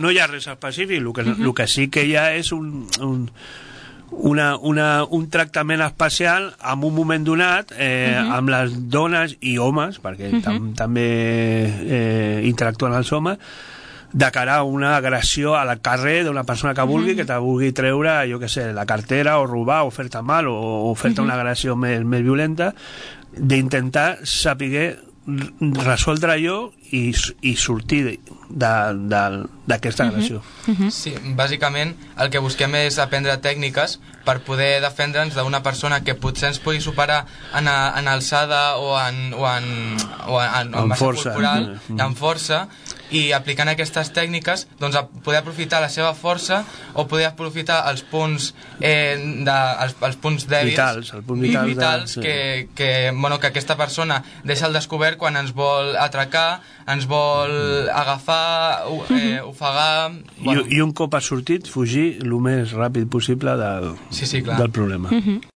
no hi ha res específic, el que sí que hi ha és un tractament especial en un moment donat amb les dones i homes, perquè també interactuen els homes, de cara a una agressió al carrer d'una persona que vulgui, que te vulgui treure, jo què sé, la cartera o robar o fer-te mal o fer-te una agressió més violenta, d'intentar saber resoldre allò i sortir d'aquesta agressió. Sí, bàsicament el que busquem és aprendre tècniques per poder defendre'ns d'una persona que potser ens pugui superar en alçada o en massa corporal, en força, i aplicant aquestes tècniques doncs poder aprofitar la seva força o poder aprofitar els punts els punts dèbils vitals que aquesta persona deixa al descobert quan ens vol atracar, ens vol agafar, ofegar... I un cop ha sortit, fugir el més ràpid possible del problema.